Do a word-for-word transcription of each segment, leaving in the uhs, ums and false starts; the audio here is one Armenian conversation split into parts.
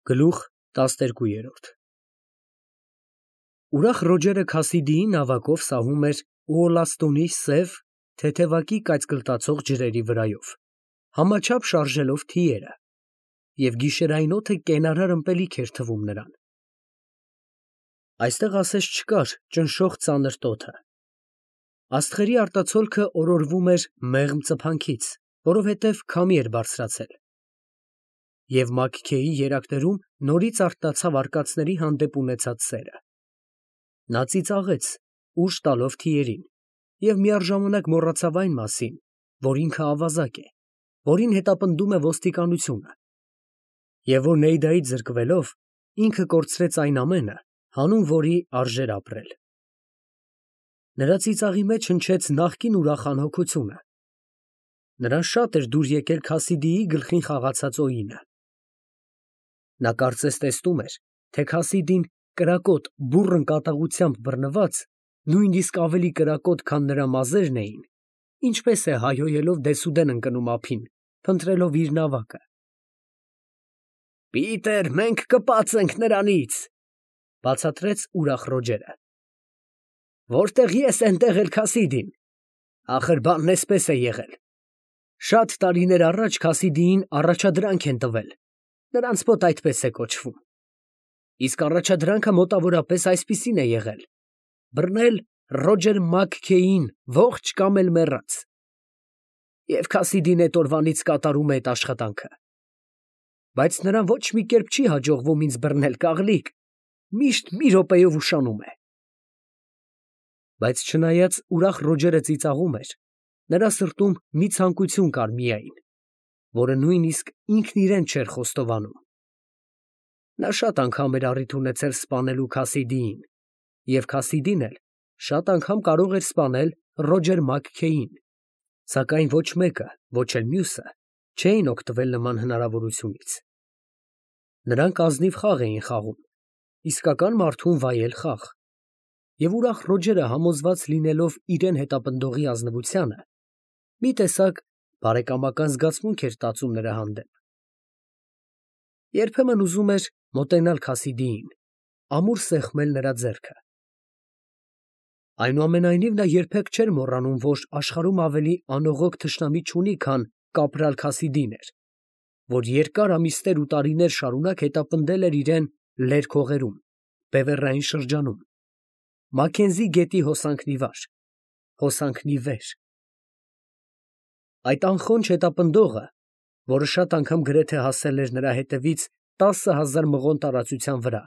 Գլուխ տասներկու։ Ուրախ Ռոջերը Քասիդիի նավակով սահում էր Ուոլաստոնի սև, թեթևակի կայծկլտացող ջրերի վրայով, համաչափ շարժելով թիերը, և գիշերային օդը կենարար ըմպելիք էր թվում նրան։ Այստեղ ասես չկար ճնշող ծանր տոթը։ Աստղերի արտացոլքը օրորվում էր մեղմ ծփանքից, որովհետև քամի էր բարձրացել։ Եվ Մաքքեյի երակներում նորից արթնացավ արկածների հանդեպ ունեցած սերը։ Նա ծիծաղեց, ուժ տալով թիերին, և միառժամանակ մոռացավ այն մասին, որ ինքը ավազակ է, որին հետապնդում է ոստիկանությունը, և որ Նեյդայից զրկվելով, ինքը կորցրեց այն ամենը, հանուն որի արժեր ապրել։ Նրա ծիծաղի մեջ հնչեց նախկին ուրախ անհոգությունը։ Նրան շատ էր դուր եկել Քասիդիի գլխին խաղացած օինը։ Նա կարծես տեսնում էր, թե Քասիդին կրակոտ բուռն կատաղությամբ բռնված, նույնիսկ ավելի կրակոտ, քան նրա մազերն էին, ինչպես է հայհոյելով դեսուդեն ընկնում ափին, փնտրելով իր նավակը։ «Պիտեր, մենք կպած ենք նրանից», ֊ բացատրեց ուրախ Ռոջերը։ «Որտեղ ես, էնտեղ էլ Քասիդին։ Ախր բանն էսպես է եղել. շատ տարիներ առաջ Քասիդիին առաջադրանք են տվել, նրանց մոտ այդպես է կոչվում, իսկ առաջադրանքը մոտավորապես այսպիսին է եղել. բռնել Ռոջեր Մաքքեյին ողջ կամ էլ մեռած։ Եվ Քասիդին էդ օրվանից կատարում է այդ աշխատանքը։ Բայց նրան ոչ մի կերպ չի հաջողվում ինձ բռնել, կաղլիկ, միշտ մի րոպեով ուշանում է»։ Բայց չնայած ուրախ Ռոջերը ծիծաղում էր, նրա սրտում մի ցանկություն կար միայն, որը նույնիսկ ինքն իրեն չէր խոստովանում։ Նա շատ անգամ էր առիթ ունեցել սպանելու Քասիդիին, և Քասիդին էլ շատ անգամ կարող էր սպանել Ռոջեր Մաքքեյին, սակայն ոչ մեկը, ոչ էլ մյուսը չէին օգտվել նման հնարավորությունից։ Նրանք ազնիվ խաղ էին խաղում, իսկական մարդուն վայել խաղ, և ուրախ Ռոջերը, համոզված լինելով իրեն հետապնդողի ազնվությանը, մի տեսակ բարեկամական զգացմունք էր տածում նրա հանդեպ։ Երբեմն ուզում էր մոտենալ Քասիդիին, ամուր սեղմել նրա ձեռքը։ Այնուամենայնիվ նա երբեք չէր մոռանում, որ աշխարհում ավելի անողոք թշնամի չունի, քան կապրալ Քասիդին էր, որ երկար ամիսներ ու տարիներ շարունակ հետապնդել էր իրեն լերկ հողերում, բևեռային շրջանում, Մաքքենզի գետի հոսանքն ի վար, հոսանքն ի վեր։ Այդ անխոնջ հետապնդողը, որը շատ անգամ գրեթե հասել էր նրա հետևից տասը հազար մղոն տարածության վրա,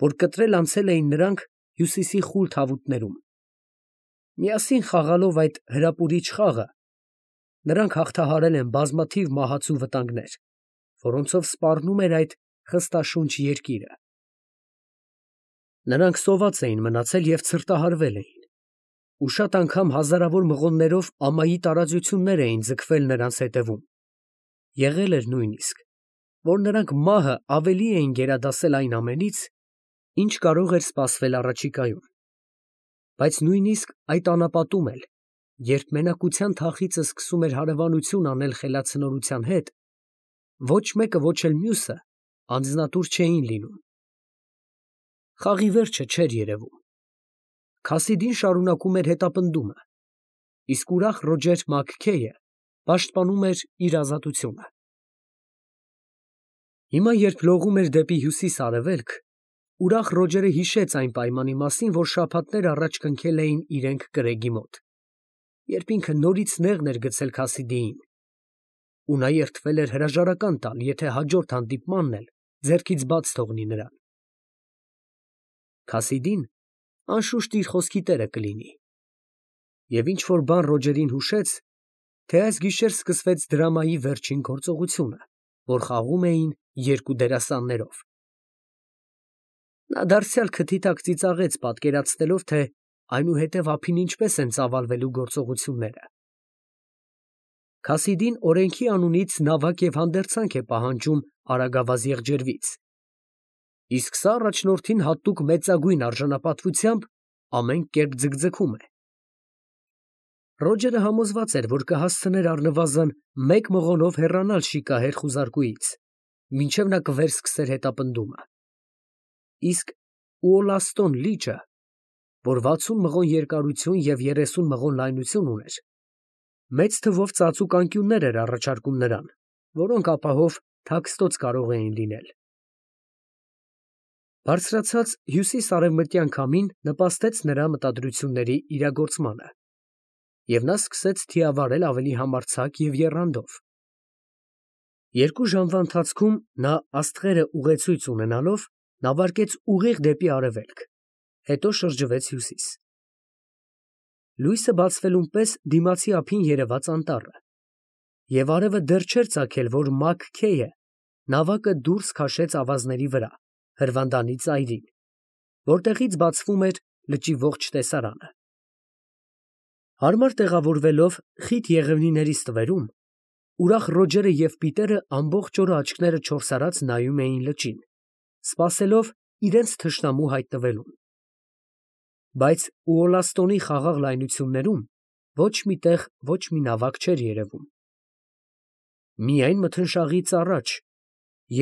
որ կտրել անցել էին նրանք հյուսիսի խուլ թավուտներում։ Միասին խաղալով այդ հրապուրիչ խաղը, նրանք հաղթահարել են բազմաթիվ մահացու վտանգներ, որոնցով սպառնում էր այդ խստաշունչ երկիրը։ Նրանք սոված էին մնացել և ցրտահարվել էին, ու շատ անգամ հազարավոր մղոններով ամայի տարածություններ էին ձգվել նրանց հետևում։ Եղել էր նույնիսկ, որ նրանք մահը ավելի էին գերադասել այն ամենից, ինչ կարող էր սպասվել առաջիկայում։ Բայց նույնիսկ այդ անապատում էլ, երբ մենակության թախիծը սկսում էր հարևանություն անել խելացնորության հետ, ոչ մեկը, ոչ էլ մյուսը անձնատուր չէին լինում։ Խաղի վերջը չէր երևում։ Քասիդին շարունակում էր հետապնդումը, իսկ ուրախ Ռոջեր Մաքքեյը պաշտպանում էր իր ազատությունը։ Հիմա, երբ լողում էր դեպի հյուսիս֊արևելք, ուրախ Ռոջերը հիշեց այն պայմանի մասին, որ շաբաթներ առաջ կնքել էին իրենք կրեգի մոտ, երբ ինքը նորից նեղն էր գցել Քասիդիին, ու նա երդվել էր հրաժարական տալ, եթե հաջորդ հանդիպմանն էլ ձեռքից բաց թողնի նրան։ Քասիդին, անշուշտ, իր խոսքի տերը կլինի։ Եվ ինչ֊որ բան Ռոջերին հուշեց, թե այս գիշեր սկսվեց դրամայի վերջին գործողությունը, որ խաղում էին երկու դերասաններով։ Նա դարձյալ քթի տակ ծիծաղեց, պատկերացնելով, թե այնուհետև ափին ինչպես են ծավալվելու գործողությունները։ Քասիդին օրենքի անունից նավակ և հանդերձանք է պահանջում արագավազ եղջերվից, իսկ սա առաջնորդին հատուկ մեծագույն արժանապատվությամբ ամեն կերպ ձգձգում է։ Ռոջերը համոզված էր, որ կհասցներ առնվազն մեկ մղոնով հեռանալ շիկահեր խուզարկուից, մինչև նա կվերսկսեր հետապնդումը։ Իսկ Ուոլաստոն լիճը, որ վաթսուն մղոն երկարություն և երեսուն մղոն լայնություն ուներ, մեծ թվով ծածուկ անկյուններ էր առաջարկում նրան, որոնք ապահով թաքստոց կարող էին լինել։ Բարձրացած հյուսիս֊արևմտյան քամին նպաստեց նրա մտադրությունների իրագործմանը, և նա սկսեց թիավարել ավելի համարձակ և եռանդով։ Երկու ժամվա ընթացքում նա աստղերը ուղեցույց ունենալով նավարկեց ուղիղ դեպի արևելք, հետո շրջվեց հյուսիս։ Լույսը բացվելուն պես դիմացի ափին երևաց անտառը, և արևը դեռ չէր ծագել, որ Մաքքեյը նավակը դուրս քաշեց ավազների վրա, հրվանդանի ծայրին, որտեղից բացվում էր լճի ողջ տեսարանը։ Հարմար տեղավորվելով խիտ եղևնիների ստվերում, ուրախ Ռոջերը և Պիտերը ամբողջ օրը աչքները չորսարած նայում էին լճին, սպասելով իրենց թշնամու հայտնվելուն։ Բայց Ուոլաստոնի խաղաղ լայնություններում ոչ մի տեղ ոչ մի նավակ չէր երևում։ Միայն մթնշաղից առաջ,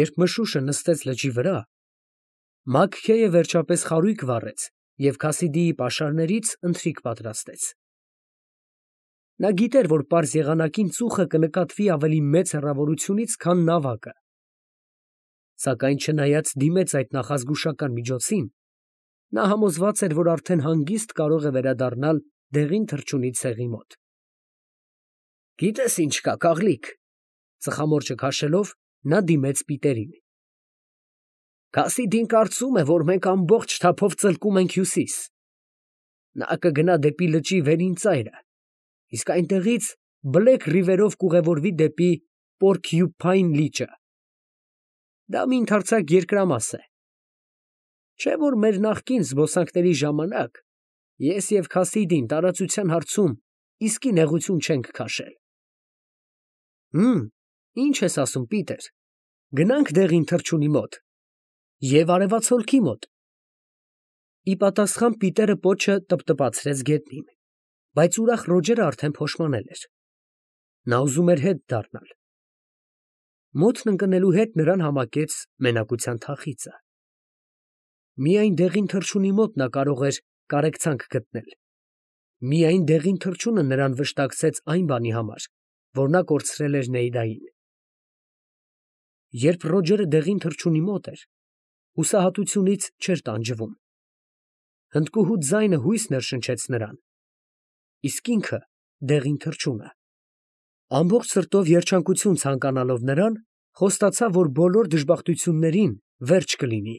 երբ մշուշը նստեց լճի վրա, Մաքքեյը վերջապես խարույկ վառեց և Քասիդիի պաշարներից ընթրիք պատրաստեց։ Նա գիտեր, որ պարզ եղանակին ծուխը կնկատվի ավելի մեծ հեռավորությունից, քան նավակը, սակայն չնայած դիմեց այդ նախազգուշական միջոցին, նա համոզված էր, որ արդեն հանգիստ կարող է վերադառնալ դեղին թռչունի ցեղի մոտ։ «Գիտես ինչ կա, կաղլիկ», ծխամորճը քաշելով, նա դիմեց Պիտերին։ «Քասիդին կարծում է, որ մենք ամբողջ թափով ծլկում ենք հյուսիս. նա կգնա դեպի լճի վերին ծայրը, իսկ այնտեղից Բլեք Ռիվերով կուղևորվի դեպի Պորքյուփայն լիճը։ Դա մի ընդարձակ երկրամաս է, չէ՞ որ մեր նախկին զբոսանքների ժամանակ ես և Քասիդին տարածության հարցում իսկի նեղություն չենք քաշել։ Հըմ, ի՞նչ ես ասում, Պիտեր, գնա՞նք դեղին թռչունի մոտ և արևածագի մոտ։ Ի պատասխան Պիտերը պոչը տպտպացրեց գետնին, բայց ուրախ Ռոջերը արդեն փոշմանել էր։ Նա ուզում էր հետ դառնալ։ Մոթն ընկնելու հետ նրան համակեց մենակության թախիծը։ Միայն դեղին թռչունի մոտ նա կարող էր կարեկցանք գտնել։ Միայն դեղին թռչունը նրան վշտակցեց այն բանի համար, որ նա կորցրել էր Նեիդային։ Երբ Ռոջերը դեղին թռչունի մոտ էր, հուսահատությունից չէր տանջվում։ Հնդկուհու ձայնը հույս ներշնչեց նրան, իսկ ինքը դեղին թռչունը, ամբողջ սրտով երջանկություն ցանկանալով նրան, խոստացավ, որ բոլոր դժբախտություններին վերջ կլինի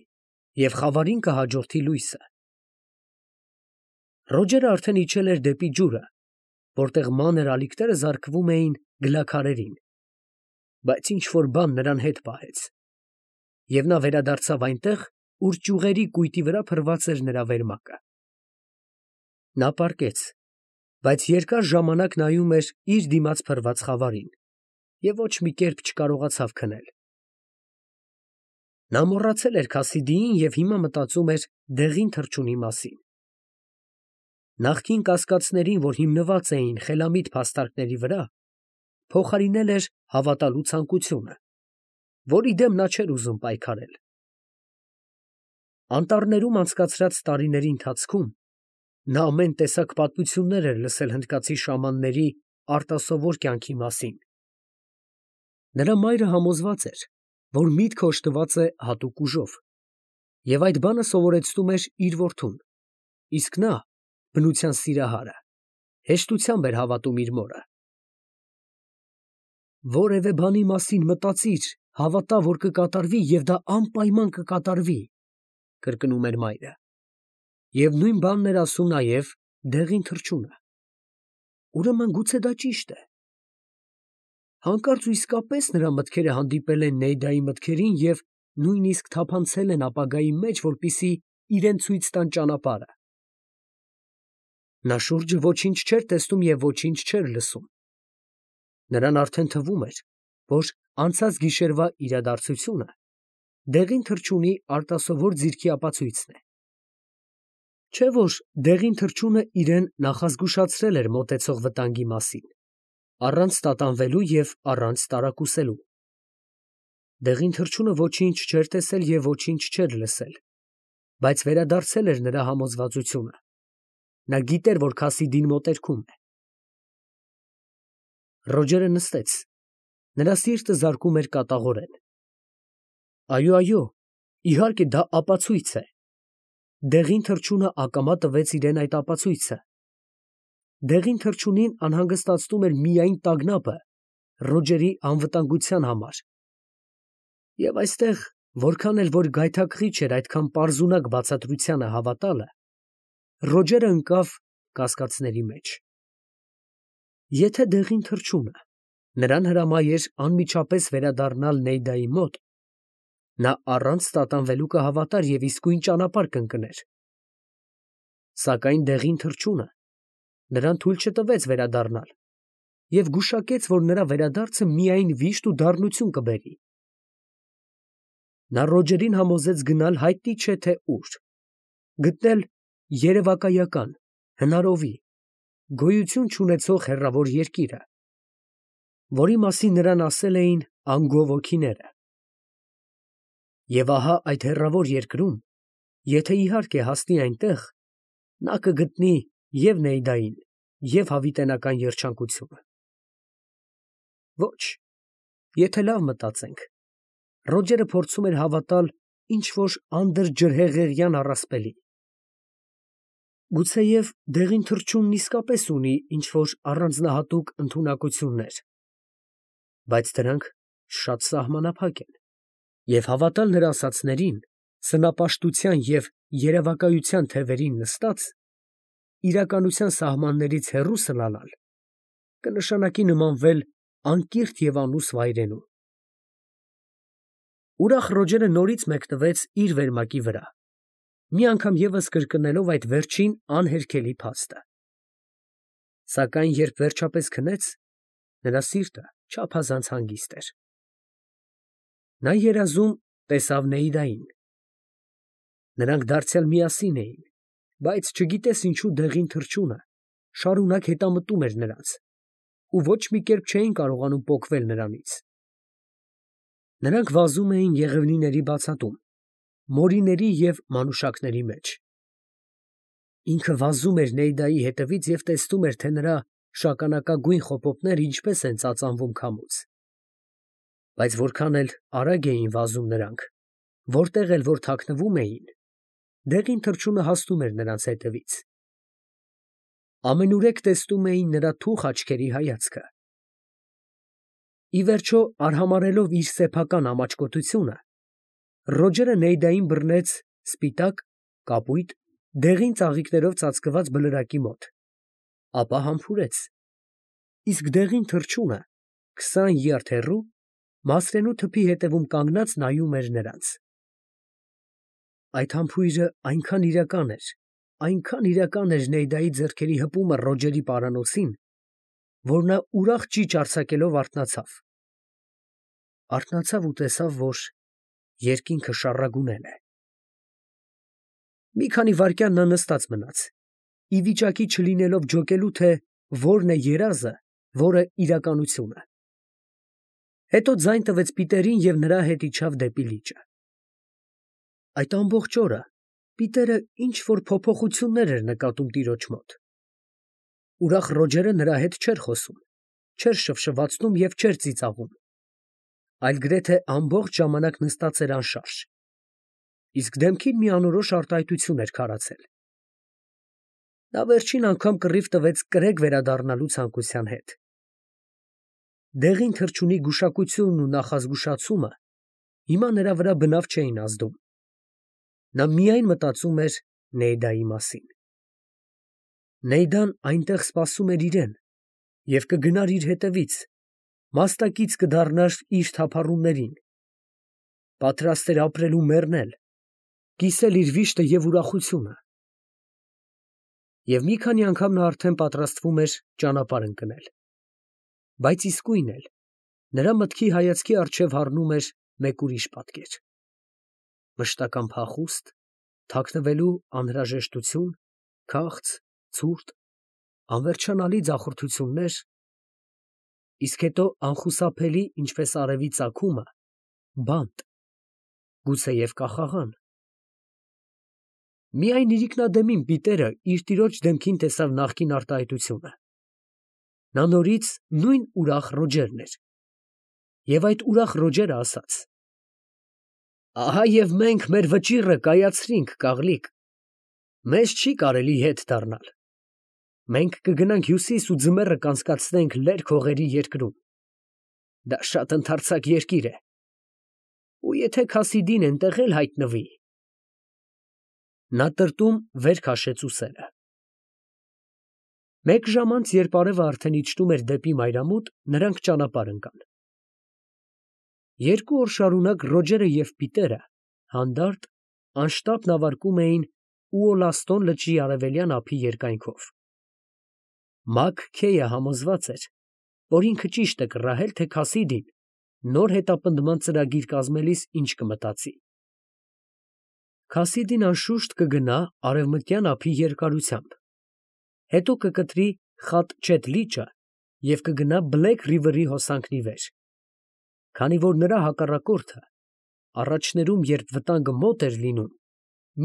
և խավարին կհաջորդի լույսը։ Ռոջերը արդեն իջել էր դեպի ջուրը, որտեղ մանր ալիքները զարկվում էին գլաքարերին, բայց ինչ֊որ բան նրան հետ պահեց, և նա վերադարձավ այնտեղ, ուր ճյուղերի կույտի վրա փռված էր նրա վերմակը։ Նա պառկեց, բայց երկար ժամանակ նայում էր իր դիմաց փռված խավարին և ոչ մի կերպ չկարողացավ քնել։ Նա մոռացել էր Քասիդիին և հիմա մտածում էր դեղին թռչունի մասին։ Նախկին կասկածներին, որ հիմնված էին խելամիտ փաստարկների վրա, փոխարինել էր հավատալու ցանկությունը, որի դեմ նա չէր ուզում պայքարել։ Անտառներում անցկացրած տարիների ընթացքում նա ամեն տեսակ պատմություններ էր լսել հնդկացի շամանների արտասովոր կյանքի մասին։ Նրա մայրը համոզված էր, որ միտքը օժտված է հատուկ ուժով, և այդ բանը սովորեցնում էր իր որդուն, իսկ նա, բնության սիրահարը, հեշտությամբ էր հավատում իր մորը։ «Որևէ բանի մասին մտածիր, հավատա, որ կկատարվի և դա անպայման կկատարվի», կրկնում էր մայրը, և նույն բանն էր ասում նաև դեղին թռչունը։ Ուրեմն գուցե դա ճիշտ է։ Հանկարծ ու իսկապես նրա մտքերը հանդիպել են Նեիդայի մտքերին և նույնիսկ թափանցել են ապագայի մեջ, որպեսզի իրան ցույց տան ճանապարհը։ Նա շուրջը ոչինչ չէր տեսնում և ոչինչ չէր լսում։ Նրան արդեն թվում էր, որ անցած գիշերվա իրադարձությունը դեղին թռչունի արտասովոր ձիրքի ապացույցն է։ Չէ՞ որ դեղին թռչունը իրան նախազգուշացրել էր մոտեցող վտանգի մասին, առանց տատանվելու և առանց տարակուսելու։ Դեղին թռչունը ոչինչ չէր տեսել և ոչինչ չէր լսել, բայց վերադարձել էր նրա համոզվածությունը. նա գիտեր, որ Քասիդին մոտերքում է։ Ռոջերը նստեց, նրա սիրտը զարկում էր կատաղորեն։ Այո, այո, իհարկե դա ապացույց է։ Դեղին թռչունը ակամա տվեց իրեն այդ ապացույցը։ Դեղին թռչունին անհանգստացնում էր միայն տագնապը Ռոջերի անվտանգության համար։ Եվ այստեղ, որքան էլ որ գայթակղիչ էր այդքան պարզունակ բացատրությանը հավատալը, Ռոջերը ընկավ կասկածների մեջ։ Եթե դեղին թռչունը նրան հրամայեր անմիջապես վերադառնալ Նեյդայի մոտ, նա առանց տատանվելու կհավատար և իսկույն ճանապարհ կընկներ։ Սակայն դեղին թռչունը նրան թույլ չտվեց վերադառնալ և գուշակեց, որ նրա վերադարձը միայն վիշտ ու դառնություն կբերի։ Նա Ռոջերին համոզեց գնալ հայտնի չէ թե ուր, գտնել երևակայական, հնարովի, գոյություն չունեցող հեռավոր երկիրը, որի մասին նրան ասել էին անգով հոգիները։ Եվ ահա այդ հեռավոր երկրում, եթե իհարկե հասնի այնտեղ, նա կգտնի և Նեյդային, և հավիտենական երջանկությունը։ Ոչ, եթե լավ մտածենք, Ռոջերը փորձում էր հավատալ ինչ֊որ անդրջրհեղեղյան առասպելի։ Գուցեև դեղին թռչունն իսկապես ունի ինչ֊որ առանձնահատուկ ընդունակություններ, բայց դրանք շատ սահմանափակ են, և հավատալ նրա ասածներին, սնապաշտության և երևակայության թևերին նստած, իրականության սահմաններից հեռու սլալալ, կնշանակի նմանվել անկիրթ և անուս վայրենու։ Ուրախ Ռոջերը նորից մեկնվեց իր վերմակի վրա, մի անգամ ևս կրկնելով այդ վերջին անհերքելի փաստը։ Սակայն երբ վերջապես քնեց, նրա սիրտը չափազանց հանգիստ էր։ Նա երազում տեսավ Նեյդային։ Նրանք դարձյալ միասին էին, բայց չգիտես ինչու դեղին թռչունը շարունակ հետամտում էր նրանց ու ոչ մի կերպ չէին կարողանում պոկվել նրանից։ Նրանք վազում էին եղևնիների բացատում, մորիների և մանուշակների մեջ։ Ինքը վազում էր Նեյդայի հետևից և տեսնում էր, թե նրա շագանակագույն խոպոպները ինչպես են ծածանվում քամուց։ Բայց որքան էլ արագ էին վազում նրանք, որտեղ էլ որ թաքնվում էին, դեղին թռչունը հասնում էր նրանց հետևից։ Ամենուրեք տեսնում էին նրա թուխ աչքերի հայացքը։ Ի վերջո, արհամարհելով իր սեփական ամաչկոտությունը, Ռոջերը Նեյդային բռնեց սպիտակ, կապույտ, դեղին ծաղիկներով ծածկված բլրակի մոտ, ապա համբուրեց, իսկ դեղին թռչունը քսան յարդ հեռու մասրենու թփի ետևում կանգնած նայում էր նրանց։ Այդ համբույրը այնքան իրական էր, այնքան իրական էր Նեյդայի ձեռքերի հպումը Ռոջերի պարանոցին, որ նա ուրախ ճիչ արձակելով արթնացավ։ Արթնացավ ու տեսավ, որ երկինքը շառագունել է։ Մի քանի վայրկյան նա նստած մնաց, ի վիճակի չլինելով ջոկելու, թե որն է երազը, որը իրականությունը։ Հետո ձայն տվեց Պիտերին և նրա հետ իջավ դեպի լիճը։ Այդ ամբողջ օրը Պիտերը ինչ֊որ փոփոխություններ էր նկատում տիրոջ մոտ։ Ուրախ Ռոջերը նրա հետ չէր խոսում, չէր շվշվացնում և չէր ծիծաղում, այլ գրեթե ամբողջ ժամանակ նստած էր անշարժ, իսկ դեմքին մի անորոշ արտահայտություն էր քարացել։ Նա վերջին անգամ կռիվ տվեց կրեկ վերադառնալու ցանկության հետ։ Դեղին թռչունի գուշակությունն ու նախազգուշացումը հիմա նրա վրա բնավ չէին ազդում։ Նա միայն մտածում էր Նեյդայի մասին։ Նեյդան այնտեղ սպասում էր իրեն և կգնար իր հետևից, մասնակից կդառնար իր թափառումներին, պատրաստ էր ապրել ու մեռնել, կիսել իր վիշտը և ուրախությունը։ Եվ մի քանի անգամ նա արդեն պատրաստվում էր ճանապարհ ընկնել, բայց իսկույն էլ նրա մտքի հայացքի առջև հառնում էր մեկ ուրիշ պատկեր։ Մշտական փախուստ, թաքնվելու անհրաժեշտություն, քաղց, ցուրտ, անվերջանալի ձախորդություններ, իսկ հետո անխուսափելի, ինչպես արևի ծագումը, բանտ, գուցեև կախաղան։ Միայն իրիկնադեմին Պիտերը իր տիրոջ դեմքին տեսավ նախկին արտահայտությունը։ Նա նորից նույն ուրախ Ռոջերն էր։ Եվ այդ ուրախ Ռոջերը ասաց. «Ահա և մենք մեր վճիռը կայացրինք, կաղլիկ, մեզ չի կարելի հետ դառնալ։ Մենք կգնանք հյուսիս ու ձմեռը կանցկացնենք լերկ հողերի երկրում։ Դա շատ ընդարձակ երկիր է, ու եթե Քասիդին էնտեղ էլ հայտնվի…» Նա տրտում վեր քաշեց ուսերը։ Մեկ ժամ անց, երբ արևը արդեն իջնում էր դեպի մայրամուտ, նրանք ճանապարհ ընկան։ Երկու օր շարունակ Ռոջերը և Պիտերը հանդարտ, անշտապ նավարկում էին Ուոլաստոն լճի արևելյան ափի երկայնքով։ Մակ Քեյը համոզված էր, որ ինքը ճիշտ է կռահել, թե Քասիդին նոր հետապնդման ծրագիր կազմելիս ինչ կմտածի։ Քասիդին անշուշտ կգնա արևմտյան ափի երկարությամբ, հետո կկտրի Խատչետ լիճը և կգնա Բլեք Ռիվերի հոսանքն ի վեր, քանի որ նրա հակառակորդը առաջներում, երբ վտանգը մոտ էր լինում,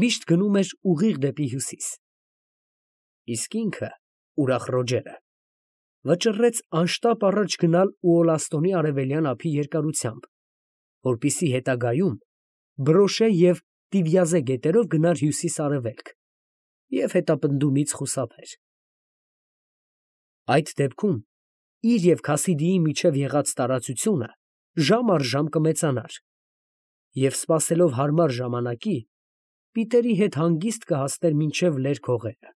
միշտ գնում էր ուղիղ դեպի հյուսիս։ Իսկ ինքը, ուրախ Ռոջերը, վճռեց անշտապ առաջ գնալ Ուոլաստոնի արևելյան ափի երկարությամբ, որպեսզի հետագայում Բրոշե և Տիվյազե գետերով գնար հյուսիս֊արևելք և հետապնդումից խուսափեր։ Այդ դեպքում իր և Քասիդիի միջև եղած տարածությունը ժամ առ ժամ կմեծանար, և սպասելով հարմար ժամանակի, Պիտերի հետ հանգիստ կհասներ մինչև լերկ հողերը։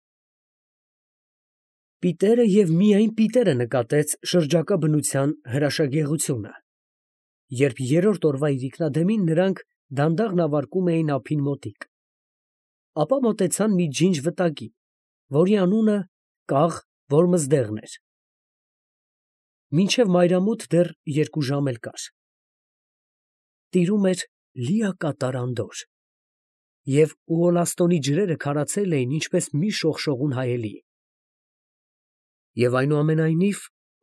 Պիտերը և միայն Պիտերը նկատեց շրջակա բնության հրաշագեղությունը, երբ երրորդ օրվա իրիկնադեմին նրանք դանդաղ նավարկում էին ափին մոտիկ, ապա մոտեցան մի ջինջ վտակի, որի անունը Կաղ Որմզդեղն էր։ Մինչև մայրամուտ դեռ երկու ժամ էլ կար։ Տիրում էր լիակատար անդորր, և Ուոլաստոնի ջրերը քարացել էին ինչպես մի շողշողուն հայելի։ Եվ այնուամենայնիվ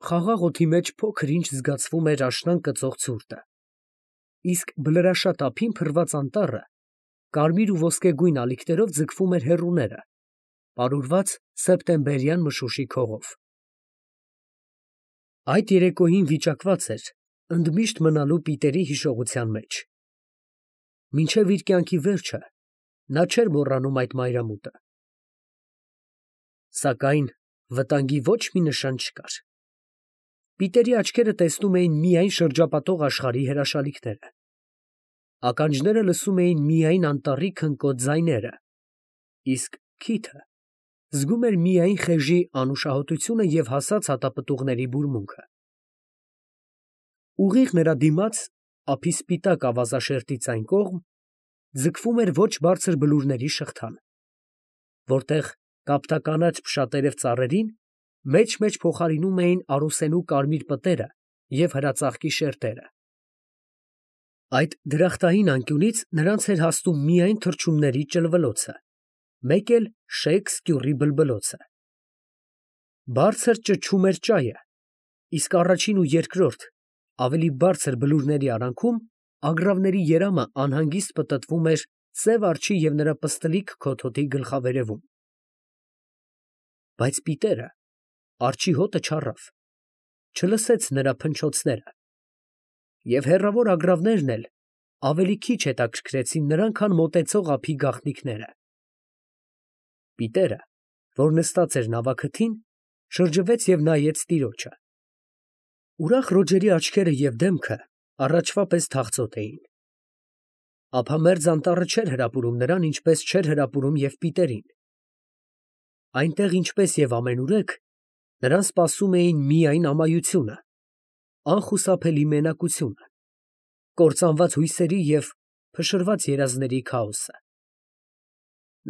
խաղաղ օդի մեջ փոքր ինչ զգացվում էր աշնան կծող ցուրտը, իսկ բլրաշատ ափին փռված անտառը կարմիր ու ոսկեգույն ալիքներով ձգվում էր հեռուները, պարուրված սեպտեմբերյան մշուշիկ հողով։ Այդ երեկոյին վիճակված էր ընդմիշտ մնալու Պիտերի հիշողության մեջ։ Մինչև իր կյանքի վերջը նա չէր մոռանում այդ մայրամուտը։ Սակայն վտանգի ոչ մի նշան չկար։ Պիտերի աչքերը տեսնում էին միայն շրջապատող աշխարհի հրաշալիքները։ Ականջները լսում էին միայն անտառի քնկոտ ձայները, իսկ քիթը զգում էր միայն խեժի անուշահոտությունը և հասած հատապտուղների բուրմունքը։ Ուղիղ նրա դիմաց, ափի սպիտակ ավազաշերտից այն կողմ, ձգվում էր ոչ բարձր բլուրների շղթան, որտեղ կապտականաչ փշատերև ծառերին մեջ֊մեջ փոխարինում էին առուսենու կարմիր պտերը և հրածաղկի շերտերը։ Այդ դրախտային անկյունից նրանց էր հասնում միայն թռչունների ճլվլոցը, մեկ էլ շեկ սկյուռի բլբլոցը։ Բարձր ճչում էր ճայը, իսկ առաջին ու երկրորդ, ավելի բարձր բլուրների արանքում ագռավների երամը անհանգիստ պտտվում էր սև արջի և նրա պստլիկ քոթոթի գլխավերևում։ Բայց Պիտերը արջի հոտը չառավ, չլսեց նրա փնչոցները, և հեռավոր ագռավներն էլ ավելի քիչ հետաքրքրեցին նրան, քան մոտեցող ափի գաղտնիքները։ Պիտերը, որ նստած էր նավաքթին, շրջվեց և նայեց տիրոջը։ Ուրախ Ռոջերի աչքերը և դեմքը առաջվա պես թախծոտ էին։ Ափամերձ անտառը չէր հրապուրում նրան, ինչպես չէր հրապուրում և Պիտերին։ Այնտեղ, ինչպես և ամենուրեք, նրան սպասում էին միայն ամայությունը, անխուսափելի մենակությունը, կործանված հույսերի և փշրված երազների քաոսը։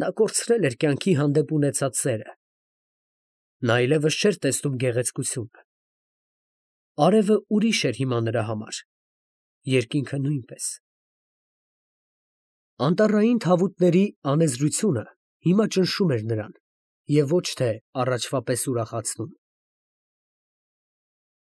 Նա կորցրել էր կյանքի հանդեպ ունեցած սերը։ Նա այլևս չէր տեսնում գեղեցկությունը։ Արևը ուրիշ էր հիմա նրա համար, երկինքը նույնպես։ Անտառային թավուտների անեզրությունը հիմա ճնշում էր նրան և ոչ թե առաջվա պես ուրախացնում։